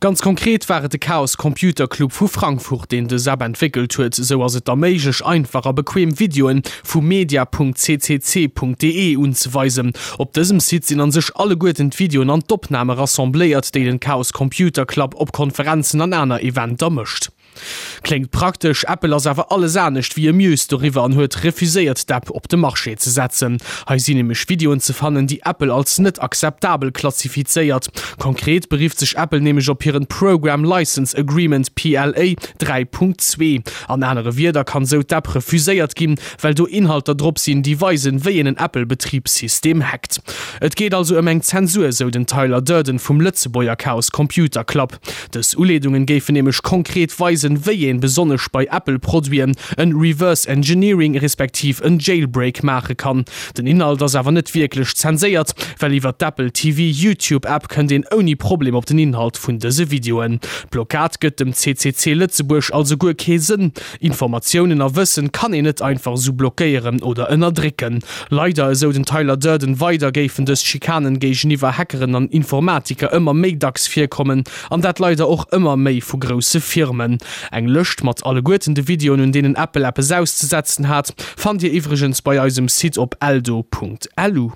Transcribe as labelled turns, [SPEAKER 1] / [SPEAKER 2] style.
[SPEAKER 1] Ganz konkret war et de Chaos Computer Club vu Frankfurt, deen dës App entwéckelt huet. Esou ass et da méiglech, einfach a bequem Videoen vu media.ccc.de unzeweisen. Op dësem Site sinn an sech alleguerten d'Videoen an d'Opname rassembléiert, déi den Chaos Computer Club op Konferenzen an aner Eventer mécht. Kléngt praktesch, Apple ass awer alles anescht wéi amused doriwwer an huet refuséiert d'App op de Marché ze setzen. Hei sinn nämlech Videoen ze fannen, déi Apple als net akzeptabel klassifizéiert. Konkret berifft sech Apple nämlech op hiren Program License Agreement, PLA, 3.2. An anere Wierder kann sou d'App refuséiert ginn, well do Inhalter drop sinn, déi weisen, wéi een en Apple-Betribssystem hackt. Et geet also ëm eng Zensur, sou den Tyler Durden vum Lëtzebuerger Chaos Computer Club. Dës Uleedungen géifen nämlech konkret weisen, wéi een, besonnesch bei Apple-Produiten, en Reverse Engineering respektiv en Jailbreak maache kann. Den Inhalt ass awer net wierklech zenséiert, well iwwer d'Apple TV YouTube App kënnt een ouni Problem op den Inhalt vun dëse Videoen. D'Blockad gëtt dem CCC Lëtzebuerg also guer kee Sënn. Informatiounen a Wëssen kann een net einfach esou blockéieren oder ënnerdrécken. Leider, esou den Tyler Durden weider, géifen dës Schikanen géigeniwwer Hackeren an Informatiker ëmmer méi dacks virkommen, an dat leider och ëmmer méi vu grousse Firmen. Eng Lëscht mat alleguerten de Videoen, un deenen Apple eppes auszesetzen hat, fannt Dir iwwregens bei eisem Site op eldo.lu.